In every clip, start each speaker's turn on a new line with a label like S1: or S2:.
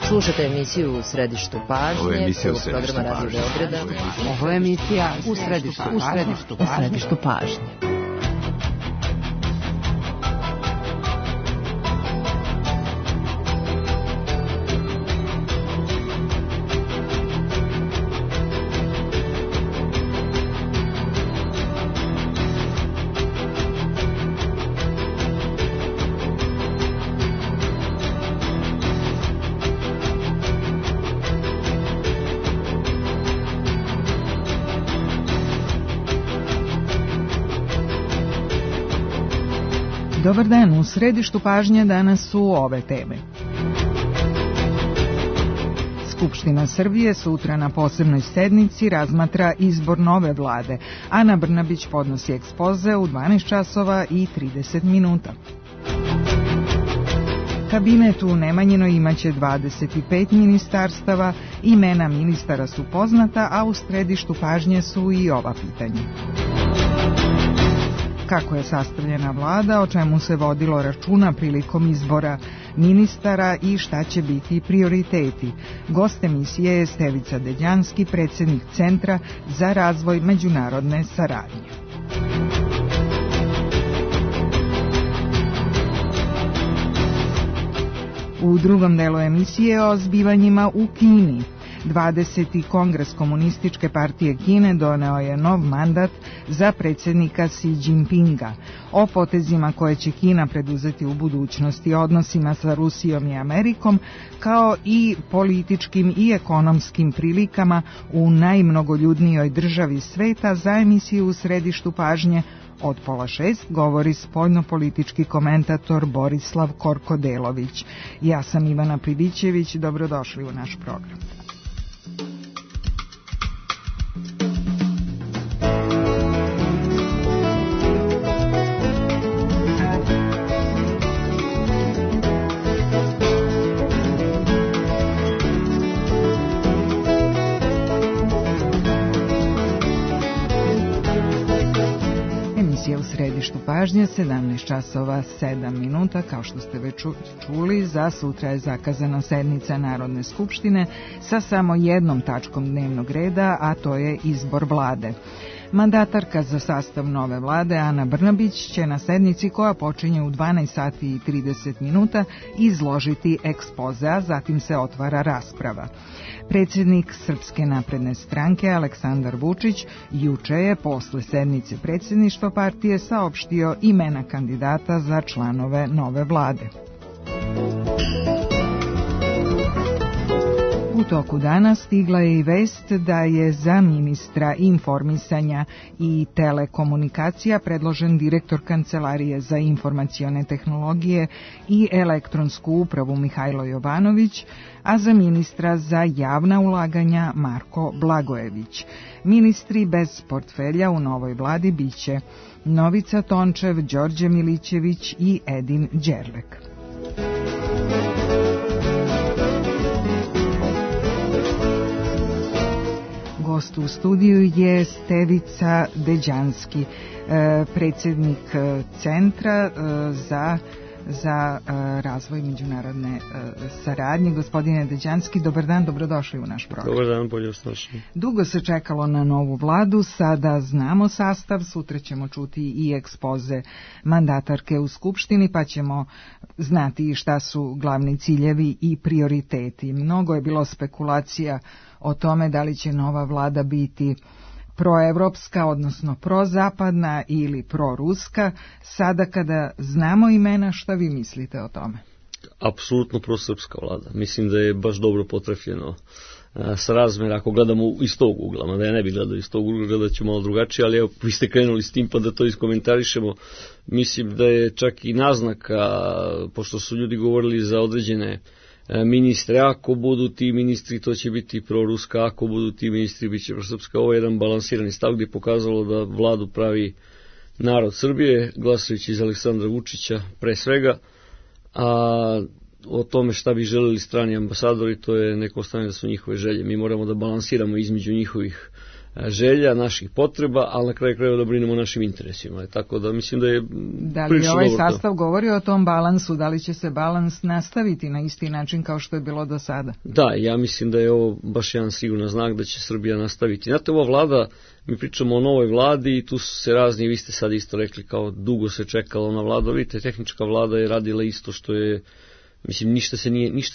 S1: Slušate emisiju U središtu pažnje.
S2: Ovo je emisija U središtu
S1: programa Radio Beograda.
S3: Ovo je emisija U središtu pažnje. Dobar dan, u središtu pažnje danas su ove teme. Skupština Srbije sutra na posebnoj sednici razmatra izbor nove vlade. Ana Brnabić podnosi ekspoze u 12 časova i 30 minuta. Kabinet u Nemanjinoj imaće 25 ministarstava, imena ministara su poznata, a u središtu pažnje su i ova pitanja. Kako je sastavljena vlada, o čemu se vodilo računa prilikom izbora ministara i šta će biti prioriteti. Gost emisije je Stevica Deđanski, predsjednik Centra za razvoj međunarodne saradnje. U drugom delu emisije o zbivanjima u Kini. 20. kongres Komunističke partije Kine doneo je nov mandat za predsjednika Xi Jinpinga. O potezima koje će Kina preduzeti u budućnosti, odnosima sa Rusijom i Amerikom, kao i političkim i ekonomskim prilikama u najmnogoljudnijoj državi sveta, za emisiju U središtu pažnje od 5:30 govori spoljnopolitički komentator Borislav Korkodelović. Ja sam Ivana Pribićević, dobrodošli u naš program. U središtu pažnje 17 časova 7 minuta, kao što ste već čuli, za sutra je zakazana sednica Narodne skupštine sa samo jednom tačkom dnevnog reda, a to je izbor vlade. Mandatarka za sastav nove vlade Ana Brnabić će na sednici koja počinje u 12 sati i 30 minuta izložiti ekspoze, a zatim se otvara rasprava. Predsjednik Srpske napredne stranke Aleksandar Vučić juče je posle sednice predsjedništva partije saopštio imena kandidata za članove nove vlade. U toku dana stigla je i vest da je za ministra informisanja i telekomunikacija predložen direktor Kancelarije za informacione tehnologije i elektronsku upravu Mihajlo Jovanović, a za ministra za javna ulaganja Marko Blagojević. Ministri bez portfelja u novoj vladi biće Novica Tončev, Đorđe Milićević i Edin Đerlek. Gost u studiju je Stevica Deđanski, predsjednik Centra za razvoj međunarodne saradnje. Gospodine Deđanski, dobar dan, dobrodošli u naš program.
S4: Dobar dan, bolje osnašli.
S3: Dugo se čekalo na novu vladu, sada znamo sastav, sutra ćemo čuti i ekspoze mandatarke u Skupštini, pa ćemo znati šta su glavni ciljevi i prioriteti. Mnogo je bilo spekulacija o tome da li će nova vlada biti proevropska, odnosno prozapadna ili proruska. Sada kada znamo imena, šta vi mislite o tome?
S4: Apsolutno prosrpska vlada. Mislim da je baš dobro potrefljeno s razmjera, ako gledamo iz tog ugla, mada ja ne bih gledao iz tog ugla, gledat ću malo drugačije, ali evo, vi ste krenuli s tim pa da to iskomentarišemo. Mislim da je čak i naznaka, pošto su ljudi govorili za određene ministre, ako budu ti ministri, to će biti proruska, ako budu ti ministri, bit će prosrpska. Ovo je jedan balansirani stav gdje je pokazalo da vladu pravi narod Srbije, glasajući iz Aleksandra Vučića pre svega, a o tome šta bi želeli strani ambasadori, to je neko ostane da su njihove želje. Mi moramo da balansiramo između njihovih želja, naših potreba, ali na kraju krajeva da brinemo o našim interesima. Tako da mislim da je
S3: da li ovaj sastav govori o tom balansu, da li će se balans nastaviti na isti način kao što je bilo do sada?
S4: Da, ja mislim da je ovo baš jedan siguran znak da će Srbija nastaviti. Znate, ova vlada, mi pričamo o novoj vladi i tu su se razni, vi ste sad isto rekli kao dugo se čekalo na vladu, vidite, tehnička vlada je radila isto što je, mislim, ništa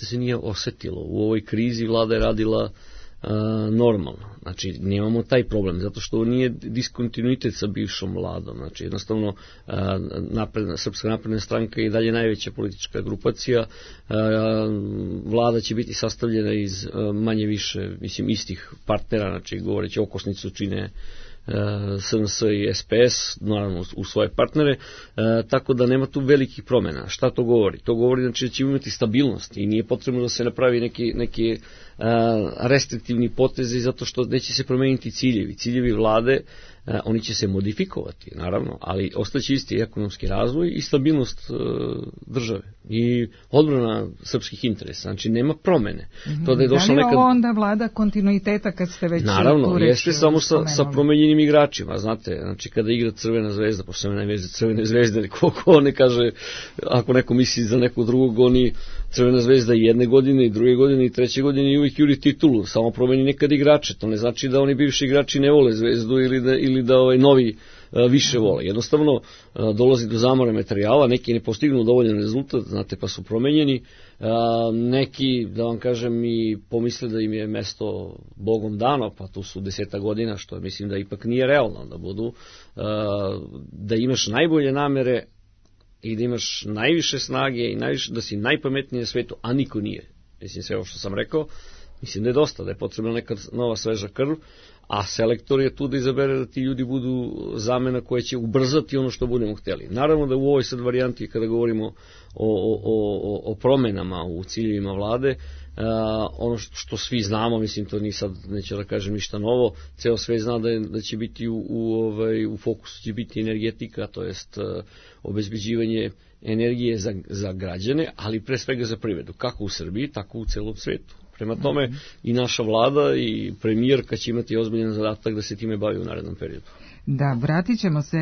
S4: se nije osetilo. U ovoj krizi vlada je radila normalno. Znači, nemamo taj problem, zato što nije diskontinuitet sa bivšom vladom. Znači, jednostavno, Srpska napredna stranka je i dalje najveća politička grupacija. Vlada će biti sastavljena iz manje više, mislim, istih partnera, znači, govoreći okosnicu čine SNS i SPS, naravno u svoje partnere, tako da nema tu velikih promjena. Šta to govori? To govori znači, da ćemo imati stabilnost i nije potrebno da se napravi neki restriktivni potezi zato što neće se promeniti ciljevi. Ciljevi vlade, oni će se modifikovati, naravno, ali ostaće isti ekonomski razvoj i stabilnost države i odbrana srpskih interesa. Znači, nema promene. To da je došla
S3: nekad... ovo onda vlada kontinuiteta kad ste već...
S4: Naravno, jeste samo sa promenjenim igračima, znate, znači kada igra Crvena zvezda, pošto sam najveže Crvene zvezde, ko ne kaže, ako neko misli za nekog drugog, oni Crvena zvezda i jedne godine, i druge godine, i treće godine i uvijek juri titulu, samo promeni nekad igrače. To ne znači da oni bivši igrači ne vole zvezdu ili da novi više vole. Jednostavno dolazi do zamora materijala, neki ne postignu dovoljan rezultat, znate, pa su promenjeni. Neki, da vam kažem, i pomisle da im je mesto Bogom dano, pa tu su 10 godina, što mislim da ipak nije realno da budu, da imaš najbolje namere i da imaš najviše snage i da si najpametniji na svetu, a niko nije. Mislim, sve ovo što sam rekao, mislim da je dosta, da je potrebna neka nova sveža krv, a selektor je tu da izabere da ti ljudi budu zamena koja će ubrzati ono što budemo htjeli. Naravno da u ovoj sad varijanti, kada govorimo o promenama u ciljevima vlade, ono što svi znamo, mislim, to ni sad neće da kažem ništa novo, ceo svet zna da će biti u fokusu će biti energetika, to jest obezbeđivanje energije za građane, ali pre svega za privredu, kako u Srbiji, tako u celom svetu. Prema tome i naša vlada i premijerka će imati ozbiljan zadatak da se time bavi u narednom periodu.
S3: Da, vratit ćemo se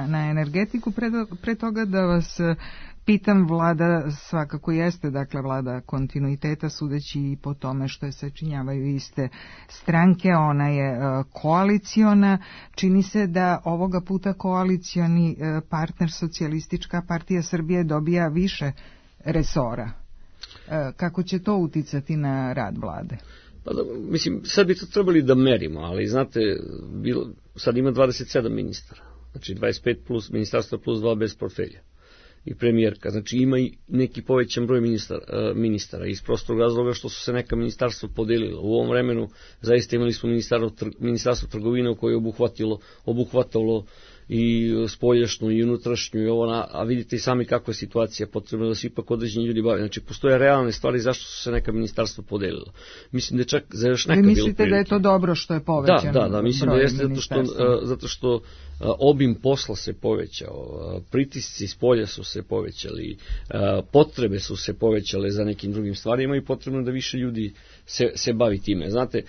S3: na energetiku, pre toga da vas pitam, vlada svakako jeste, dakle, vlada kontinuiteta, sudeći i po tome što je sačinjavaju iste stranke, ona je koaliciona, čini se da ovoga puta koalicioni partner Socijalistička partija Srbije dobija više resora. Kako će to uticati na rad vlade?
S4: Pa da, mislim, sad bi to trebali da merimo, ali znate, sad ima 27 ministara, znači 25 plus ministarstva plus 2 bez portfelja i premijerka, znači ima i neki povećan broj ministara iz prostog razloga što su se neka ministarstva podelila. U ovom vremenu zaista imali smo ministarstvo trgovine koje je obuhvatalo i spoljašnju i unutrašnju i ovo, a vidite i sami kakva je situacija, potrebno da se ipak određeni ljudi bave. Znači, postoje realne stvari zašto su se neka ministarstva podelila. Mislim da je čak za još neka bilo prilike.
S3: Vi mislite da je to dobro što je povećan broj?
S4: Da, mislim da jeste zato što obim posla se povećao, pritisci iz polja su se povećali, potrebe su se povećale za nekim drugim stvarima i potrebno da više ljudi se bavi time. Znate,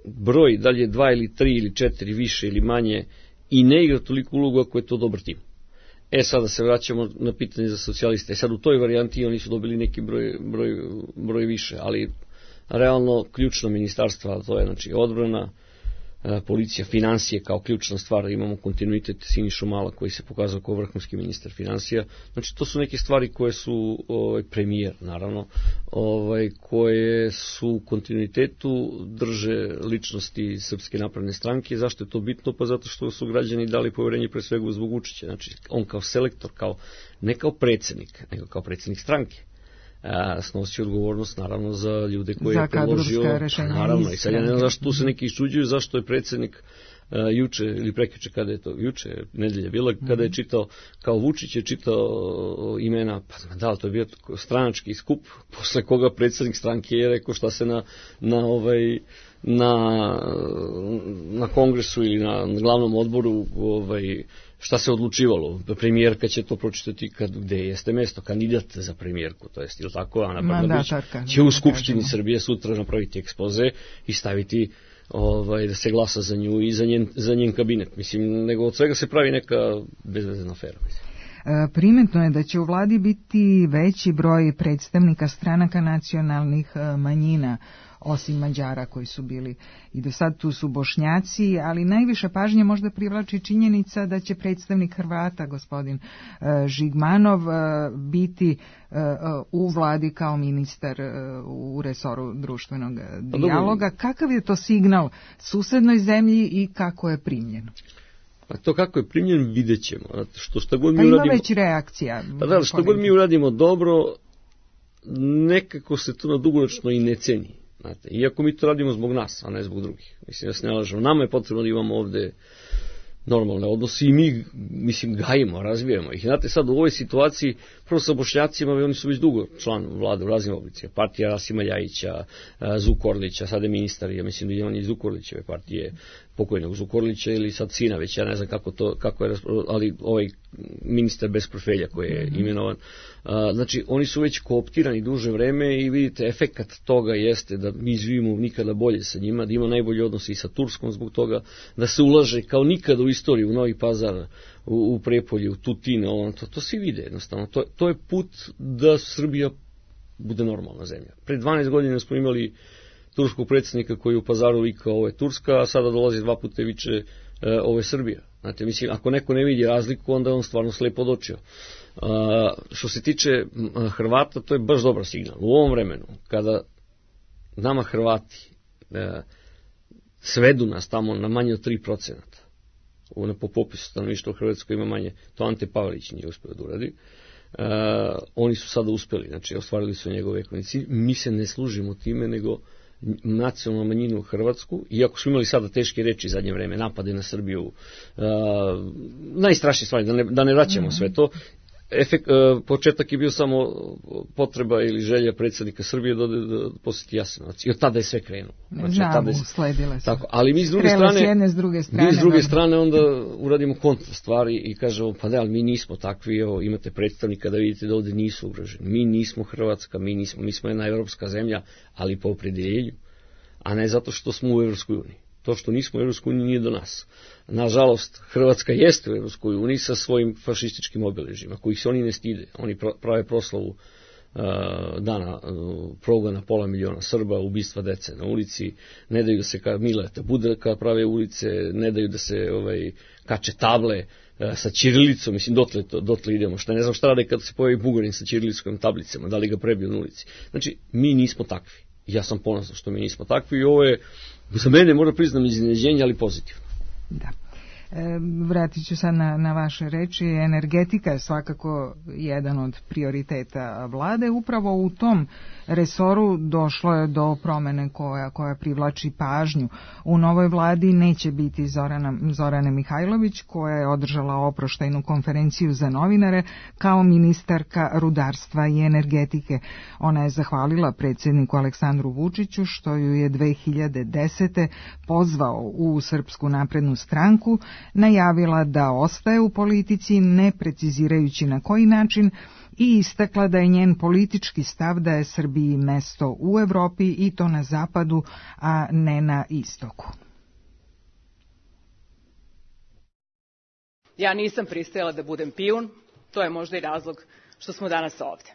S4: broj, da li je 2 ili 3 ili 4 više ili manje, i ne igra toliko ulogu ako je to dobar tim. Sada se vraćamo na pitanje za socijaliste. Sad u toj varijanti oni su dobili neki broj više, ali realno ključno ministarstva, to je znači odbrana, policija, financije kao ključna stvar, imamo kontinuitet Sinišu Mala koji se pokazao kao vrhunski ministar financija, znači to su neke stvari koje su premijer naravno, koje su u kontinuitetu drže ličnosti Srpske napredne stranke. Zašto je to bitno? Pa zato što su građani dali poverenje pre svega zbog Vučića, znači on kao selektor, ne kao predsjednik, nego kao predsjednik stranke. Snosi odgovornost naravno za ljude koje je predložio, naravno, i sad ja ne znam zašto tu se neki iščuđuju, zašto je predsjednik juče ili prekjuče, kada je to juče, nedelja bila, kada je čitao, kao Vučić je čitao imena, pa da, to je bio stranački skup, posle koga predsjednik stranke je rekao šta se na kongresu ili na glavnom odboru šta se odlučivalo. Premijerka će to pročitati gde jeste mesto, kandidat za premijerku, to jest, ili tako, Ana Brnabić će u Skupštini Srbije sutra napraviti ekspoze i staviti da se glasa za nju i za njen kabinet. Mislim, nego od svega se pravi neka bezvezna afera.
S3: Primetno je da će u vladi biti veći broj predstavnika stranaka nacionalnih manjina, osim Mađara koji su bili i do sad, tu su Bošnjaci, ali najviše pažnje možda privlači činjenica da će predstavnik Hrvata, gospodin Žigmanov, biti u vladi kao ministar u resoru društvenog dijaloga. Kakav je to signal susednoj zemlji i kako je primljeno?
S4: A to kako je primljen vidjet ćemo. Šta god mi
S3: ima
S4: uradimo,
S3: već reakcija.
S4: Što god mi uradimo dobro, nekako se to na dugoročno i ne ceni. Znate, iako mi to radimo zbog nas, a ne zbog drugih. Mislim, ja se ne lažem. Nama je potrebno da imamo ovde normalne odnose i mi, mislim, gajimo, razvijamo ih. Znate, sad u ovoj situaciji, prvo sa Bošnjacima, oni su već dugo član vlade u raznim oblicima. Partija Rasima Ljajića, Zukorlića, sad je ministar, ja mislim da je on iz Zukorlićeve partije, pokojnog Zukorlića ili sad sina već, ja ne znam kako je, ali ovaj ministar bez portfelja koji je imenovan. Znači, oni su već kooptirani duže vreme i vidite, efekat toga jeste da mi živimo nikada bolje sa njima, da ima najbolji odnos i sa Turskom zbog toga, da se ulaže kao nikada u istoriju u Novi Pazar, u Prijepolje, u Tutin, to svi vide jednostavno. To je put da Srbija bude normalna zemlja. Pre 12 godina smo imali turskog predsjednika koji u Pazaru vikao ovo je Turska, a sada dolazi 2 puta i viče ovo je Srbija. Znate, mislim, ako neko ne vidi razliku, onda je on stvarno slepo od očiju. Što se tiče Hrvata, to je baš dobar signal. U ovom vremenu, kada nama Hrvati svedu nas tamo na manje od 3%, po popisu stanovništva u Hrvatskoj ima manje, to Ante Pavelić nije uspio da uradi, oni su sada uspeli, znači ostvarili su njegove ekonomski cilj. Mi se ne služimo time, nego nacionalnu manjinu u Hrvatsku, iako smo imali sada teške reči zadnje vreme, napade na Srbiju, najstrašnije stvari, da ne vraćamo sve to. Početak je bio samo potreba ili želja predsjednika Srbije da posjeti Jasenovac. I od tada je sve krenulo.
S3: Sledile se.
S4: Tako, ali mi s druge strane onda uradimo kontra stvari i kažemo, pa da, ali mi nismo takvi, evo, imate predstavnika da vidite da ovdje nisu ugroženi. Mi nismo Hrvatska, mi smo jedna evropska zemlja, ali po opredeljenju, a ne zato što smo u Evropskoj uniji. To što nismo u Evropskoj uniji nije do nas. Nažalost, Hrvatska jeste u Evropskoj uniji sa svojim fašističkim obeležjima, kojih se oni ne stide. Oni prave proslavu dana progona pola miliona Srba, ubistva dece na ulici, ne daju da se Mileta Budarka prave ulice, ne daju da se kače table sa ćirilicom, mislim, dotle idemo. Ne znam šta rade kad se pojavi Bugarin sa ćirilickom tablicama, da li ga prebiju na ulici. Znači, mi nismo takvi. Ja sam ponosan što mi nismo takvi i ovo je, za mene, moram priznam, iznenađenje, ali pozitivno.
S3: Da. Vratit ću sad na vaše reči. Energetika je svakako jedan od prioriteta vlade. Upravo u tom resoru došlo je do promene koja privlači pažnju. U novoj vladi neće biti Zorane Mihajlović, koja je održala oproštajnu konferenciju za novinare kao ministarka rudarstva i energetike. Ona je zahvalila predsjedniku Aleksandru Vučiću što ju je 2010. pozvao u Srpsku naprednu stranku, najavila da ostaje u politici, ne precizirajući na koji način, i istakla da je njen politički stav da je Srbiji mesto u Evropi i to na zapadu, a ne na istoku.
S2: Ja nisam pristajala da budem pijun, to je možda i razlog što smo danas ovde.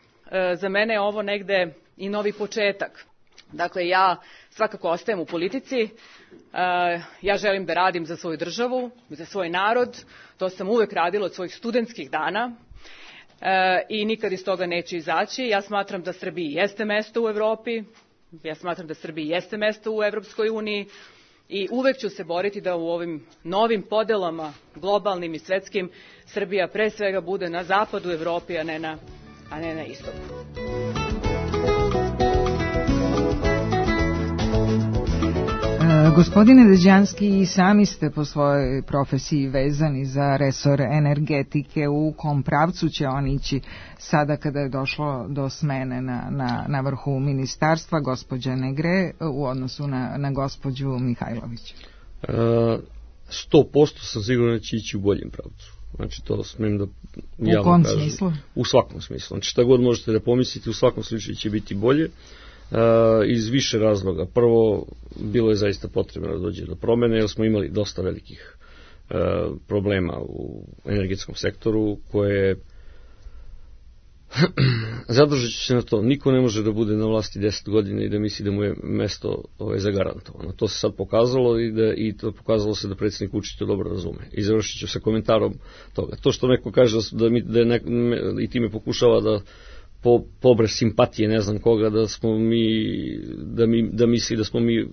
S2: Za mene je ovo negde i novi početak. Dakle, ja svakako ostajem u politici, ja želim da radim za svoju državu, za svoj narod, to sam uvek radila od svojih studentskih dana i nikad iz toga neću izaći. Ja smatram da Srbiji jeste mesto u Evropi, ja smatram da Srbiji jeste mesto u Evropskoj uniji i uvek ću se boriti da u ovim novim podelama, globalnim i svetskim, Srbija pre svega bude na zapadu Evropi, a ne na istoku.
S3: Gospodine Deđanski, i sami ste po svojoj profesiji vezani za resor energetike. U kom pravcu će on ići sada kada je došlo do smene na vrhu ministarstva, gospođa Negre, u odnosu na gospođu Mihajlović?
S4: 100% sam siguran da će ići u boljem pravcu. Znači, to smem da javno kažem.
S3: U kom smislu?
S4: U svakom smislu. Znači, šta god možete da pomislite, u svakom slučaju će biti bolje. iz više razloga. Prvo, bilo je zaista potrebno da dođe do promene, jer smo imali dosta velikih problema u energetskom sektoru, koje zadržat ću se na to. Niko ne može da bude na vlasti 10 godina i da misli da mu je mesto zagarantovano. To se sad pokazalo i to pokazalo se da predsjednik Vučić to dobro razume. I završit ću sa komentarom toga. To što neko kaže i time pokušava da pobre simpatije ne znam koga, da misli da smo mi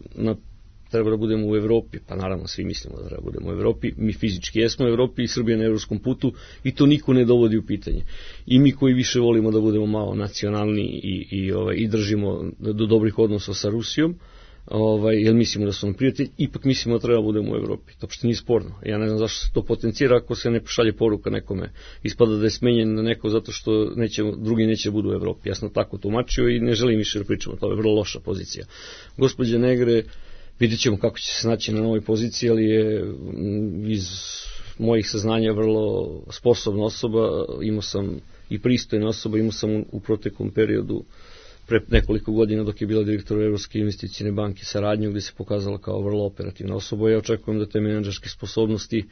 S4: treba da budemo u Evropi, pa naravno svi mislimo da treba da budemo u Evropi, mi fizički jesmo u Evropi i Srbija na evropskom putu i to niko ne dovodi u pitanje. I mi koji više volimo da budemo malo nacionalni i držimo do dobrih odnosa sa Rusijom, jer mislimo da su nam prijatelji, ipak mislimo da treba da budemo u Evropi. To uopšte nije sporno. Ja ne znam zašto se to potencira ako se ne pošalje poruka nekome. Ispada da je smenjen na neko zato što drugi neće da budu u Evropi. Ja sam tako tumačio i ne želim više da pričamo. To je vrlo loša pozicija. Gospođa Negre, vidjet ćemo kako će se snaći na novoj poziciji, ali je iz mojih saznanja vrlo sposobna osoba, imao sam i pristojna osoba, imao sam u proteklom periodu pre nekoliko godina dok je bila direktor Evropske investicijne banke saradnju, gdje se pokazala kao vrlo operativna osoba. Ja očekujem da te menadžerske sposobnosti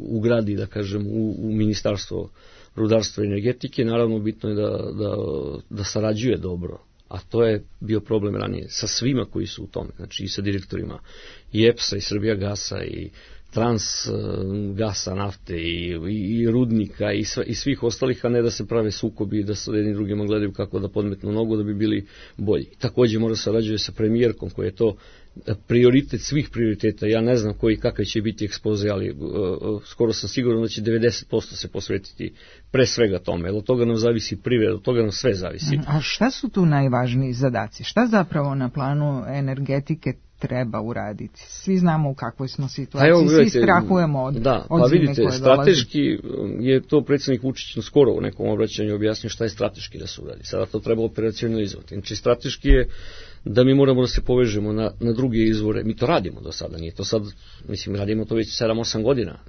S4: ugradi, da kažem, u Ministarstvo rudarstva i energetike. Naravno, bitno je da sarađuje dobro. A to je bio problem ranije sa svima koji su u tome, znači i sa direktorima i EPS-a i Srbijagasa i Transgasa nafte i rudnika i svih ostalih, a ne da se prave sukobi i da se jedni drugima gledaju kako da podmetnu nogu da bi bili bolji. Također mora sarađuje sa premijerkom koji je to prioritet svih prioriteta. Ja ne znam kakav će biti ekspoze, ali skoro sam siguran da će 90% se posvetiti pre svega tome. Od toga nam zavisi privreda, od toga nam sve zavisi.
S3: A šta su tu najvažniji zadaci? Šta zapravo na planu energetike treba uraditi? Svi znamo u kakvoj smo situaciji, svi strahujemo od zime koje dolazi.
S4: Vidite, strateški je to predsjednik Vučić skoro u nekom obraćanju objasnio šta je strateški da se uradi. Sada to treba operacionalizovati. Znači, strateški je da mi moramo da se povežemo na druge izvore. Mi to radimo do sada, nije to sad, mislim, radimo to već 7-8 godina.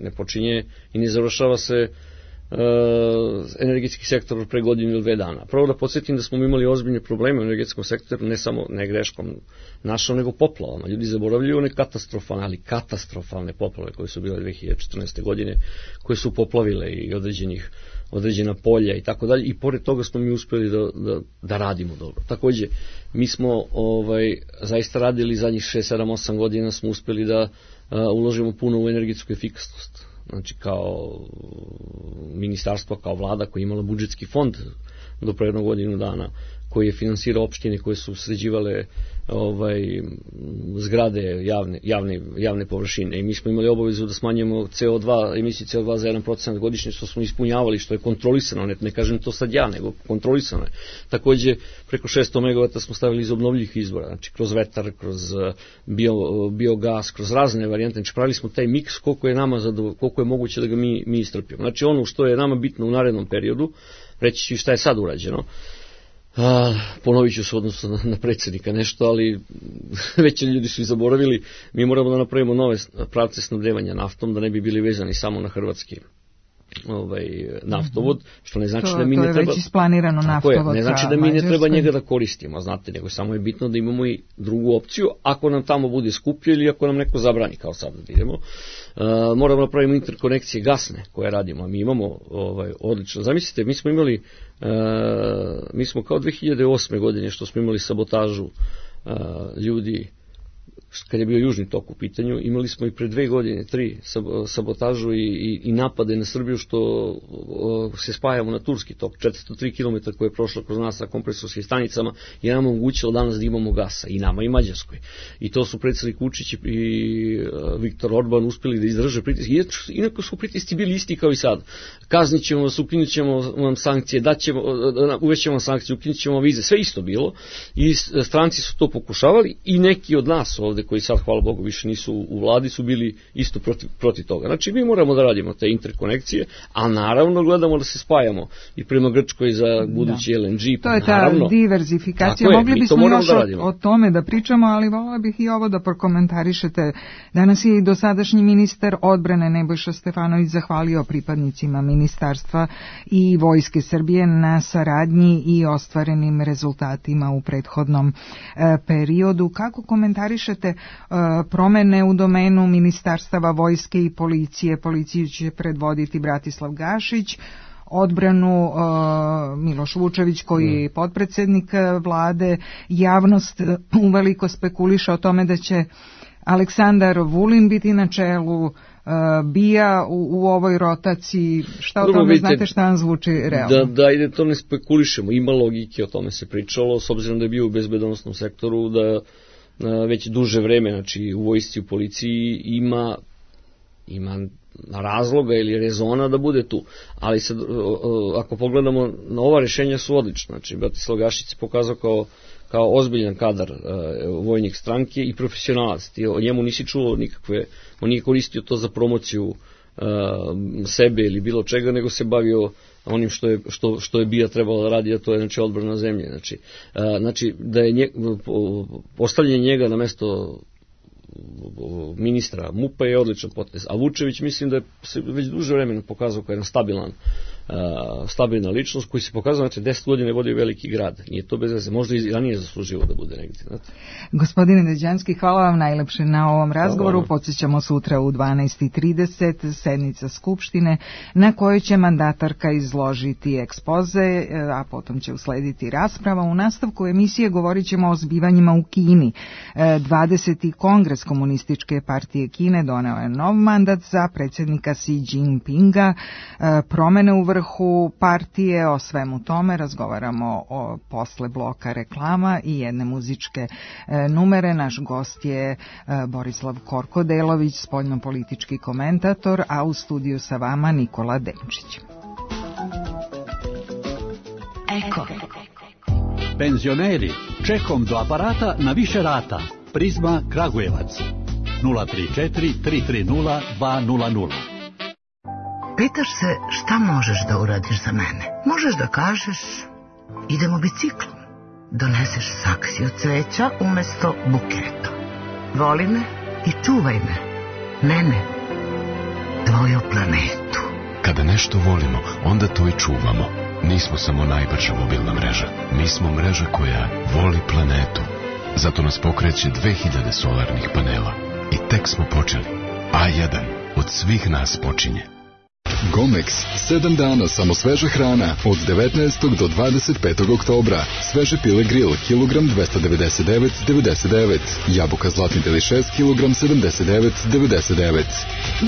S4: Ne počinje i ne završava se energetski sektor pre godinu ili 2 dana. Prvo da podsjetim da smo imali ozbiljne probleme u energetskom sektoru, ne samo ne greškom našom, nego poplavama. Ljudi zaboravljaju one katastrofalne poplave koje su bile 2014. godine, koje su poplavile i određena polja i tako dalje, i pored toga smo mi uspjeli da radimo dobro. Također, mi smo zaista radili zadnjih 6-7-8 godina, smo uspjeli da uložimo puno u energetsku efikasnost. Znači, kao ministarstvo, kao vlada koja je imala budžetski fond do pre jednog godinu dana, koji je finansirao opštine koje su sređivale zgrade javne površine, i mi smo imali obavezu da smanjujemo emisiju CO2 za 1% godišnje, što smo ispunjavali, što je kontrolisano, ne kažem to sad ja, nego kontrolisano je. Također, preko 600 MW smo stavili iz obnovljivih izvora, znači kroz vetar, kroz biogas, kroz razne varijante. Znači, pravili smo taj miks koliko je moguće da ga mi istrpimo. Znači, ono što je nama bitno u narednom periodu, reći ću šta je sad urađeno. Ponovit ću se odnosno na predsjednika nešto, ali već ljudi su i zaboravili. Mi moramo da napravimo nove pravce snabdevanja naftom, da ne bi bili vezani samo na hrvatski naftovod, što ne znači da mi ne treba...
S3: To je već isplanirano naftovod.
S4: Ne znači da mi ne treba njega da koristimo, znate, nego samo je bitno da imamo i drugu opciju, ako nam tamo bude skuplje ili ako nam neko zabrani, kao sad da idemo. Moramo napravimo interkonekcije gasne koje radimo, a mi imamo odlično. Zamislite, mi smo kao 2008. godine što smo imali sabotažu ljudi, kad je bio Južni tok u pitanju, imali smo i pre 2 godine, 3 sabotažu i napade na Srbiju, što se spajamo na Turski tok, 403 km koje je prošlo kroz nas sa kompresorskim stanicama, je nam omogućilo danas da imamo gasa, i nama i Mađarskoj. I to su predsjednik Vučić i Viktor Orban uspjeli da izdrže pritiske. Inako su pritisci bili isti kao i sad. Kaznit ćemo vas, ukinut ćemo vam sankcije, uvećemo vam sankcije, ukinut ćemo vize, sve isto bilo. I stranci su to pokušavali i neki od nas ovde vlade koji sad, hvala Bogu, više nisu u vladi, su bili isto protiv toga. Znači, mi moramo da radimo te interkonekcije, a naravno gledamo da se spajamo i prema Grčkoj za budući LNG.
S3: To je ta diverzifikacija. Mogli bismo još o tome da pričamo, ali volila bih i ovo da prokomentarišete. Danas je i dosadašnji ministar odbrane Nebojša Stefanović zahvalio pripadnicima ministarstva i Vojske Srbije na saradnji i ostvarenim rezultatima u prethodnom periodu. Kako komentarišete promene u domenu ministarstava vojske i policije? Policiju će predvoditi Bratislav Gašić, odbranu Miloš Vučević koji je potpredsednik vlade. Javnost uveliko spekuliše o tome da će Aleksandar Vulin biti na čelu BIA u ovoj rotaciji. Šta o tome znate, šta vam zvuči realno?
S4: Da, ide to ne spekulišemo, ima logike, o tome se pričalo, s obzirom da je bio u bezbedonosnom sektoru, da već duže vreme, znači u vojsci, u policiji ima razloga ili rezona da bude tu. Ali sad, ako pogledamo, na ova rešenja su odlična. Znači, Bratislav Gašić se pokazao kao ozbiljan kadar vojnik stranke i profesionalac. Ti o njemu nisi čuo nikakve, on nije koristio to za promociju sebe ili bilo čega, nego se bavio onim što je BIA trebalo da radi, a to je znači odbrana zemlje. Znači da je postavljanje njega na mesto ministra MUP-a je odličan potez. A Vučević mislim da se već duže vremena pokazao kao jedan stabilna ličnost koji se pokazao, znači 10 godina je vodio veliki grad. Nije to bez veze, možda i ranije zasluživo da bude negdje. Znate.
S3: Gospodine Neđanski, hvala vam najlepše na ovom razgovoru. Podsjećamo sutra u 12:30 sednica Skupštine na kojoj će mandatarka izložiti ekspoze, a potom će uslediti rasprava. U nastavku emisije govorit ćemo o zbivanjima u Kini. 20. kongres Komunističke partije Kine doneo je nov mandat za predsjednika Xi Jinpinga, promene u vrhu partije. O svemu tome razgovaramo posle bloka reklama i jedne muzičke numere. Naš gost je Borislav Korkodelović, spoljnopolitički komentator, a u studiju sa vama Nikola Demčić.
S5: Eko. Penzioneri, čekom do aparata na više rata. Prizma Kragujevac 034 330 200.
S6: Pitaš se šta možeš da uradiš za mene? Možeš da kažeš idemo biciklom. Doneseš saksiju cveća umesto buketa. Voli me i čuvaj me. Mene, tvoju planetu.
S7: Kada nešto volimo, onda to i čuvamo. Nismo samo najbrža mobilna mreža. Mi smo mreža koja voli planetu. Zato nas pokreće 2000 solarnih panela. I tek smo počeli. A1 od svih nas počinje.
S8: Gomex, 7 dana samo sveža hrana od 19. do 25. oktobra. Sveže pile grill, kilogram 299,99. Jabuka zlatni delišes, kilogram 79,99.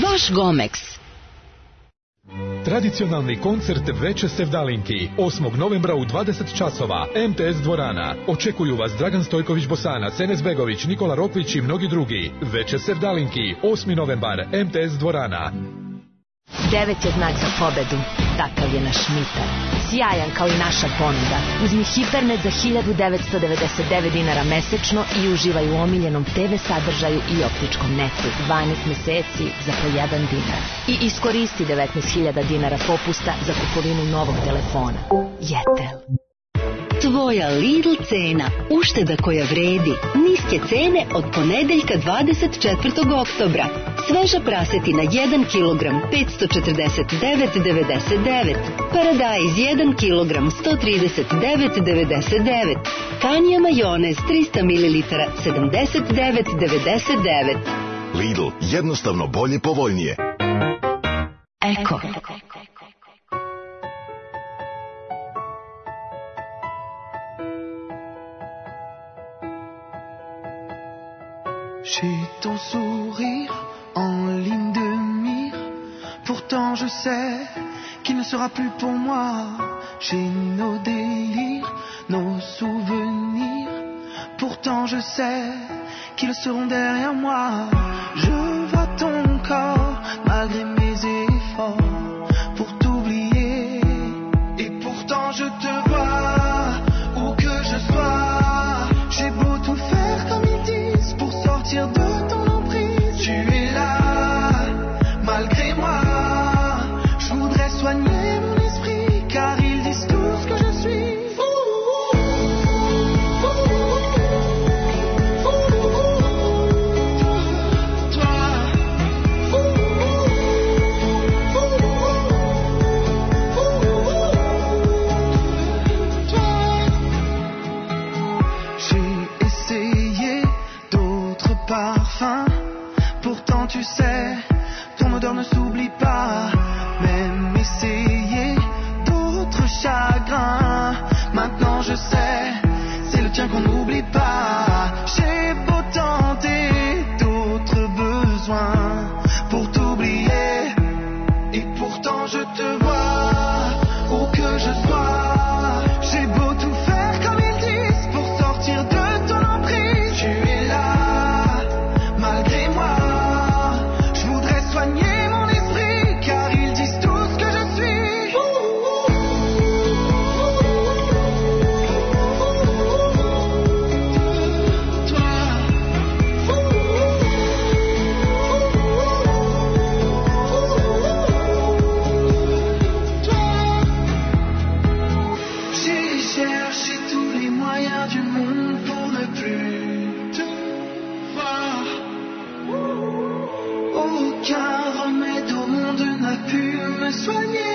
S9: Vaš Gomex.
S10: Tradicionalni koncert Veče Sevdalinki 8. novembra u 20 časova MTS dvorana. Očekuju vas Dragan Stojković Bosanac, Enes Begović, Nikola Rokvić i mnogi drugi. Veče Sevdalinki 8. novembar MTS dvorana.
S9: 9 je znak za pobedu, takav je naš Mitar. Sjajan kao i naša ponuda. Uzmi Hipernet za 1999 dinara mesečno i uživaj u omiljenom TV sadržaju i optičkom netu 12 meseci za po 1 dinar. I iskoristi 19.000 dinara popusta za kupovinu novog telefona. Jetel.
S11: Tvoja Lidl cena, ušteda koja vredi, niske cene od ponedeljka 24. oktobra. Sveža prasetina 1 kg 549,99, paradajz 1 kg 139,99, Kanja majonez 300 ml 79,99.
S12: Lidl, jednostavno bolje, povoljnije.
S11: Eko.
S13: J'ai ton sourire en ligne de mire. Pourtant je sais qu'il ne sera plus pour moi. J'ai nos délires, nos souvenirs. Pourtant je sais qu'ils seront derrière moi. Je vois ton corps malgré mes efforts pour t'oublier. Et pourtant je te vois où que je sois. J'ai beau tout faire comme ils disent pour sortir quand je te vois, où que je sois, j'ai beau tout faire comme ils disent pour sortir de ton emprise, tu es là, malgré moi. Je voudrais soigner mon esprit, car ils disent tous que je suis. J'ai cherché tous les moyens du monde pour ne plus te voir. Aucun remède au monde n'a pu me soigner.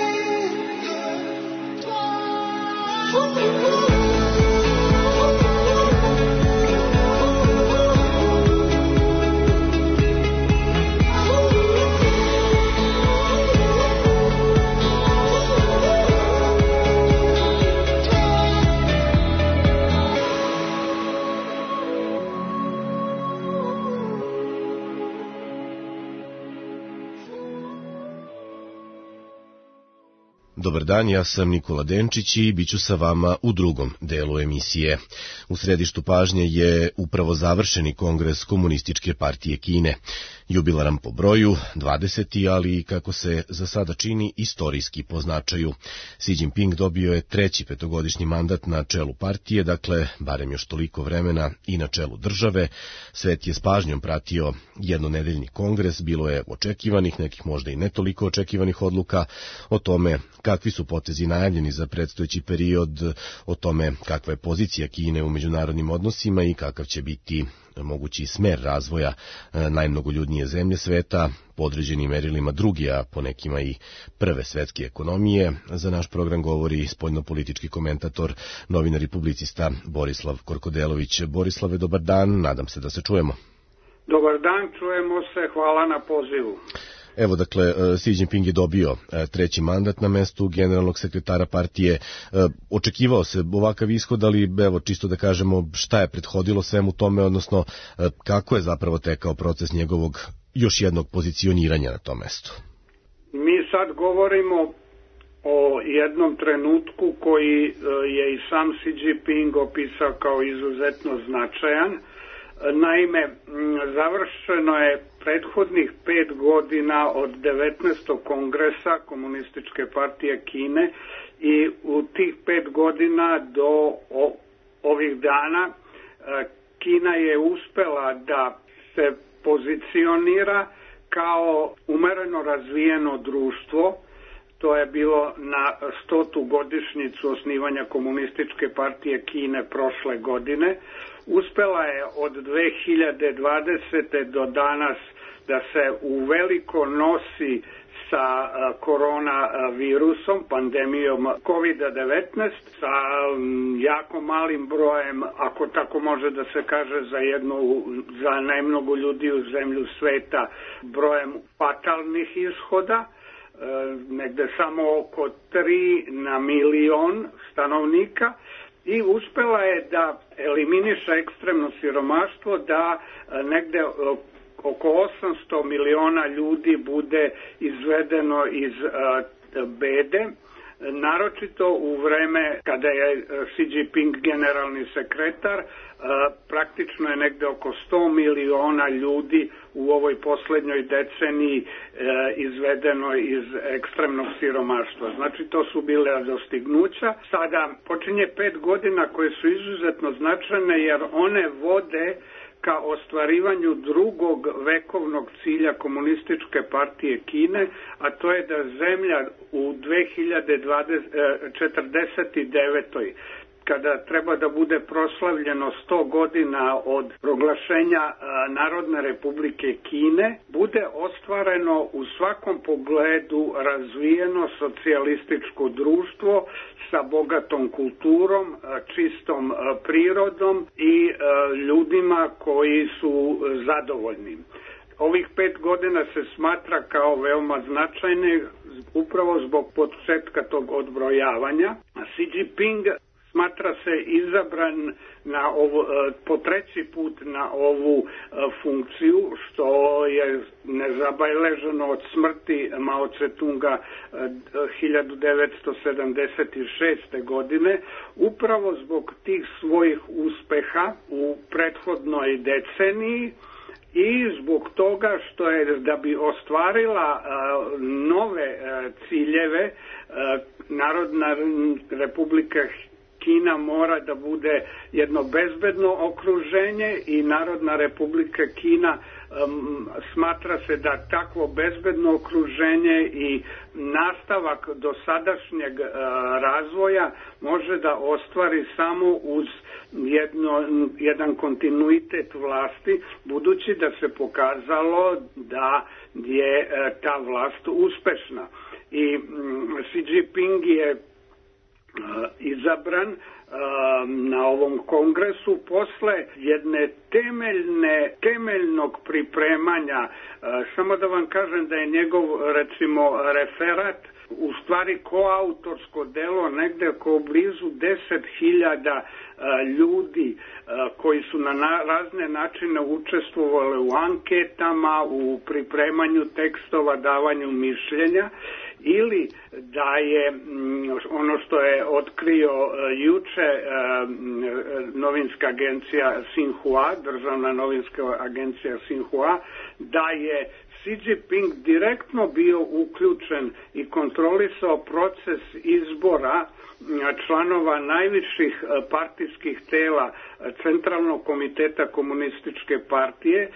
S14: Dobar dan, ja sam Nikola Denčić i bit ću sa vama u drugom delu emisije. U središtu pažnje je upravo završeni kongres Komunističke partije Kine. Jubilaran po broju, 20. ali kako se za sada čini istorijski po značaju. Xi Jinping dobio je 3. petogodišnji mandat na čelu partije, dakle, barem još toliko vremena i na čelu države. Svet je s pažnjom pratio jednonedeljni kongres, bilo je očekivanih, nekih možda i ne toliko očekivanih odluka o tome kakvi su potezi najavljeni za predstojeći period, o tome kakva je pozicija Kine u međunarodnim odnosima i kakav će biti mogući smer razvoja najmnogoljudnije zemlje sveta, po određenim merilima drugi, a po nekima i prve svetske ekonomije. Za naš program govori spoljnopolitički komentator, novinar i publicista Borislav Korkodelović. Borislave, dobar dan, nadam se da se čujemo.
S15: Dobar dan, čujemo se, hvala na pozivu.
S14: Evo, dakle, Xi Jinping je dobio 3. mandat na mestu generalnog sekretara partije. Očekivao se ovakav ishod, ali evo, čisto da kažemo šta je prethodilo svemu tome, odnosno kako je zapravo tekao proces njegovog još jednog pozicioniranja na tom mestu.
S15: Mi sad govorimo o jednom trenutku koji je i sam Xi Jinping opisao kao izuzetno značajan. Naime, završeno je prethodnih 5 godina od 19. kongresa Komunističke partije Kine i u tih 5 godina do ovih dana Kina je uspela da se pozicionira kao umereno razvijeno društvo. To je bilo na 100. godišnjicu osnivanja Komunističke partije Kine prošle godine. Uspela je od 2020. do danas da se uveliko nosi sa koronavirusom, pandemijom COVID-19, sa jako malim brojem, ako tako može da se kaže za najmnogoljudniju zemlju sveta, brojem fatalnih ishoda, negde samo oko 3 na milion stanovnika, i uspela je da eliminiše ekstremno siromaštvo, da negde oko 800 miliona ljudi bude izvedeno iz bede, naročito u vreme kada je Xi Jinping generalni sekretar. Praktično je negde oko 100 miliona ljudi u ovoj poslednjoj deceniji izvedeno iz ekstremnog siromaštva. Znači, to su bile dostignuća. Sada počinje 5 godina koje su izuzetno značajne, jer one vode ka ostvarivanju drugog vekovnog cilja Komunističke partije Kine, a to je da zemlja u 2049. kada treba da bude proslavljeno 100 godina od proglašenja Narodne republike Kine, bude ostvareno u svakom pogledu razvijeno socijalističko društvo sa bogatom kulturom, čistom prirodom i ljudima koji su zadovoljni. Ovih 5 godina se smatra kao veoma značajne upravo zbog početka tog odbrojavanja. Xi Jinping smatra se izabran po treći put na ovu funkciju, što je nezabeleženo od smrti Mao Tse-tunga 1976. godine, upravo zbog tih svojih uspeha u prethodnoj deceniji i zbog toga što je, da bi ostvarila nove ciljeve, Narodna Republika Kina mora da bude jedno bezbedno okruženje i Narodna Republika Kina smatra se da takvo bezbedno okruženje i nastavak dosadašnjeg razvoja može da ostvari samo uz jedan kontinuitet vlasti, budući da se pokazalo da je ta vlast uspešna. I Xi Jinping je izabran na ovom kongresu posle jedne temeljnog pripremanja. Samo da vam kažem da je njegov, recimo, referat u stvari koautorsko delo negde oko blizu 10.000 ljudi koji su na razne načine učestvovali u anketama, u pripremanju tekstova, davanju mišljenja, ili da je ono što je otkrio juče novinska agencija Xinhua, državna novinska agencija Xinhua, da je Xi Jinping direktno bio uključen i kontrolisao proces izbora članova najviših partijskih tela Centralnog komiteta komunističke partije,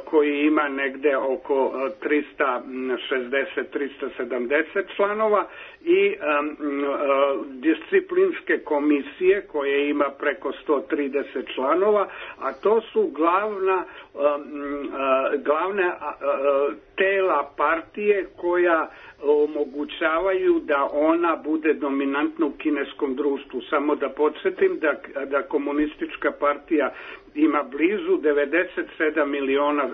S15: koji ima negde oko 360-370 članova, i disciplinske komisije koje ima preko 130 članova, a to su glavne tela partije koja omogućavaju da ona bude dominantna u kineskom društvu. Samo da podsjetim da komunistička partija ima blizu 97 miliona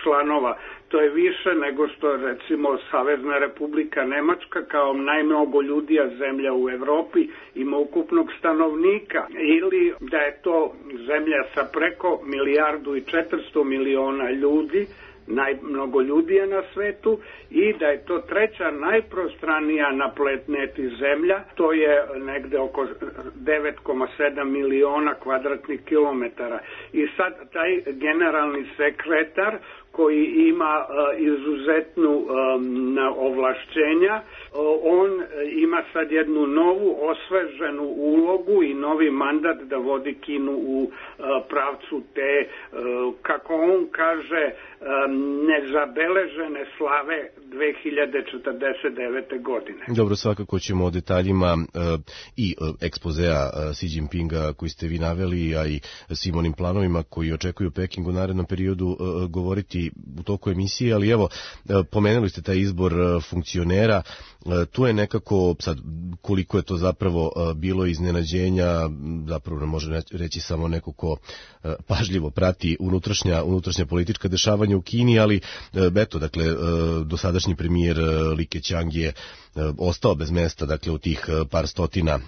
S15: članova. To je više nego što, recimo, Savezna Republika Nemačka kao najmnogoljudija zemlja u Evropi ima ukupnog stanovnika, ili da je to zemlja sa preko 1.400 miliona ljudi, najmnogoljudija na svetu, i da je to treća najprostranija na planeti zemlja, to je negde oko 9,7 miliona kvadratnih kilometara. I sad taj generalni sekretar koji ima izuzetnu ovlašćenja, on ima sad jednu novu osveženu ulogu i novi mandat da vodi Kinu u pravcu te, kako on kaže, nezabeležene slave 2049. godine.
S14: Dobro, svakako ćemo o detaljima i ekspozea Xi Jinpinga koji ste vi naveli, a i svim onim planovima koji očekuju Peking u narednom periodu govoriti u toku emisije, ali evo, pomenuli ste taj izbor funkcionera, tu je nekako, sad, koliko je to zapravo bilo iznenađenja, zapravo ne može reći samo neko ko pažljivo prati unutrašnja politička dešavanja u Kini, ali eto, dakle, dosadašnji premijer Li Keqiang je ostao bez mesta, dakle, u tih par stotina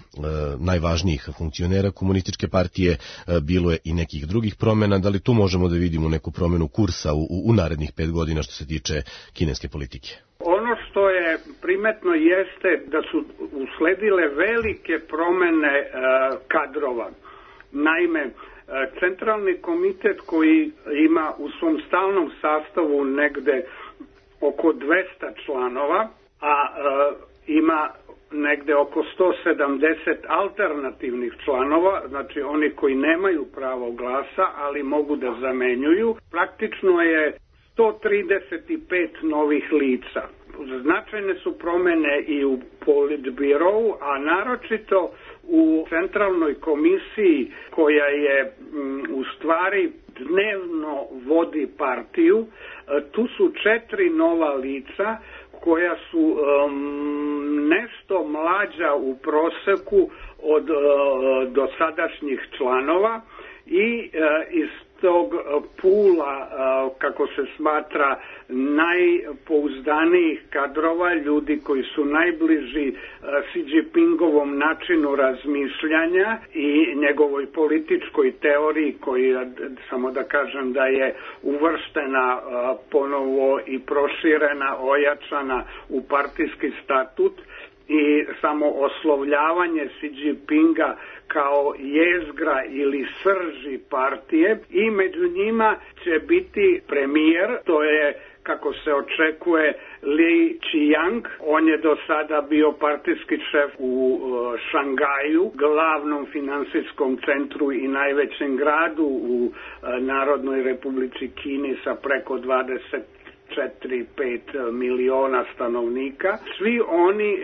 S14: najvažnijih funkcionera komunističke partije, bilo je i nekih drugih promjena. Da li tu možemo da vidimo neku promjenu kursa u narednih 5 godina što se tiče kineske politike?
S15: Ono što je primetno jeste da su usledile velike promjene kadrova. Naime, Centralni komitet koji ima u svom stalnom sastavu negde oko 200 članova, a ima negde oko 170 alternativnih članova, znači oni koji nemaju pravo glasa, ali mogu da zamenjuju, praktično je 135 novih lica. Značajne su promjene i u Politbirou, a naročito u Centralnoj komisiji koja je u stvari dnevno vodi partiju. Tu su 4 nova lica koja su nešto mlađa u proseku od dosadašnjih članova i iz tog pula, kako se smatra, najpouzdanijih kadrova, ljudi koji su najbliži Xi Jinpingovom načinu razmišljanja i njegovoj političkoj teoriji, koja, samo da kažem, da je uvrštena ponovo i proširena, ojačana u partijski statut, i samo oslovljavanje Xi Jinpinga kao jezgra ili srži partije, i među njima će biti premijer, to je, kako se očekuje, Li Qiang. On je do sada bio partijski šef u Šangaju, glavnom finansijskom centru i najvećem gradu u Narodnoj Republici Kini sa preko 4-5 miliona stanovnika. Svi oni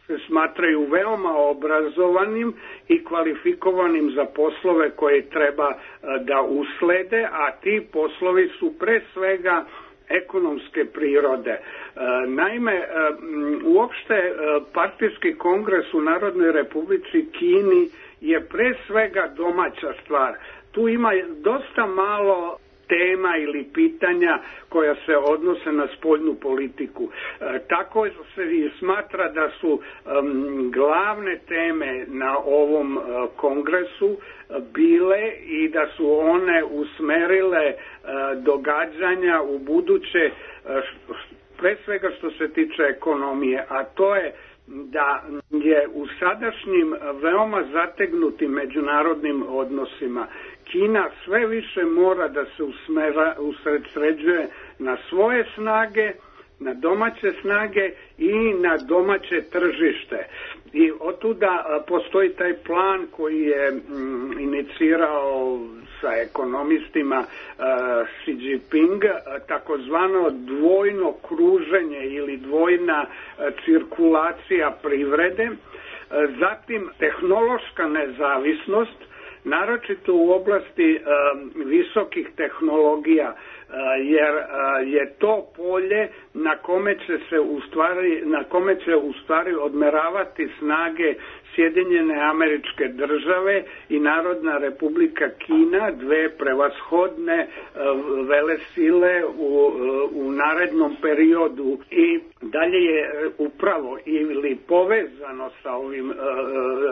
S15: se smatraju veoma obrazovanim i kvalifikovanim za poslove koje treba da uslede, a ti poslovi su pre svega ekonomske prirode. Naime, uopšte partijski kongres u Narodnoj Republici Kini je pre svega domaća stvar. Tu ima dosta malo tema ili pitanja koja se odnose na spoljnu politiku. Tako se i smatra da su glavne teme na ovom kongresu bile i da su one usmerile događanja u buduće, pre svega što se tiče ekonomije, a to je da je u sadašnjim veoma zategnutim međunarodnim odnosima Kina sve više mora da se usredsređuje na svoje snage, na domaće snage i na domaće tržište. I otuda postoji taj plan koji je inicirao sa ekonomistima Xi Jinping, takozvano dvojno kruženje ili dvojna cirkulacija privrede, zatim tehnološka nezavisnost, naročito u oblasti visokih tehnologija, jer je to polje na kome će u stvari odmeravati snage Sjedinjene Američke Države i Narodna Republika Kina, dve prevashodne velesile u narednom periodu. I dalje je upravo ili povezano sa ovim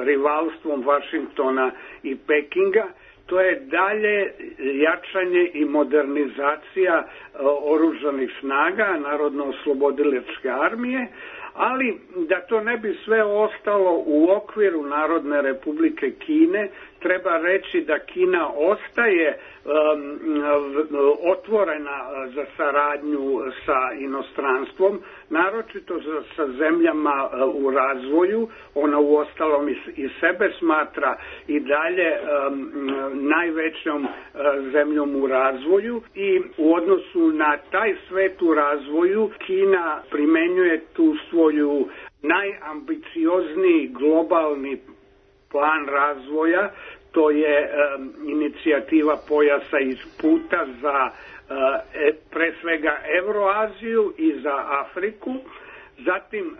S15: rivalstvom Vašingtona i Pekinga, to je dalje jačanje i modernizacija oružanih snaga Narodno-oslobodilačke armije, ali da to ne bi sve ostalo u okviru Narodne Republike Kine, treba reći da Kina ostaje otvorena za saradnju sa inostranstvom, naročito sa zemljama u razvoju. Ona uostalom i sebe smatra i dalje najvećom zemljom u razvoju, i u odnosu na taj svet u razvoju Kina primenjuje tu svoju najambiciozniji globalni plan razvoja. To je inicijativa pojasa iz puta za pre svega Evroaziju i za Afriku. Zatim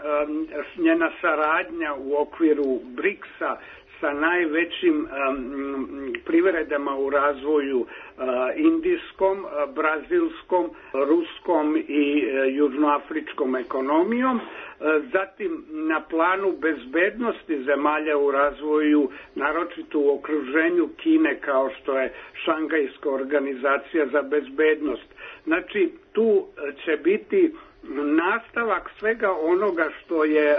S15: njena saradnja u okviru BRICS-a sa najvećim privredama u razvoju, indijskom, brazilskom, ruskom i južnoafričkom ekonomijom. Zatim na planu bezbednosti zemalja u razvoju, naročito u okruženju Kine, kao što je Šangajska organizacija za bezbednost. Znači, tu će biti nastavak svega onoga što je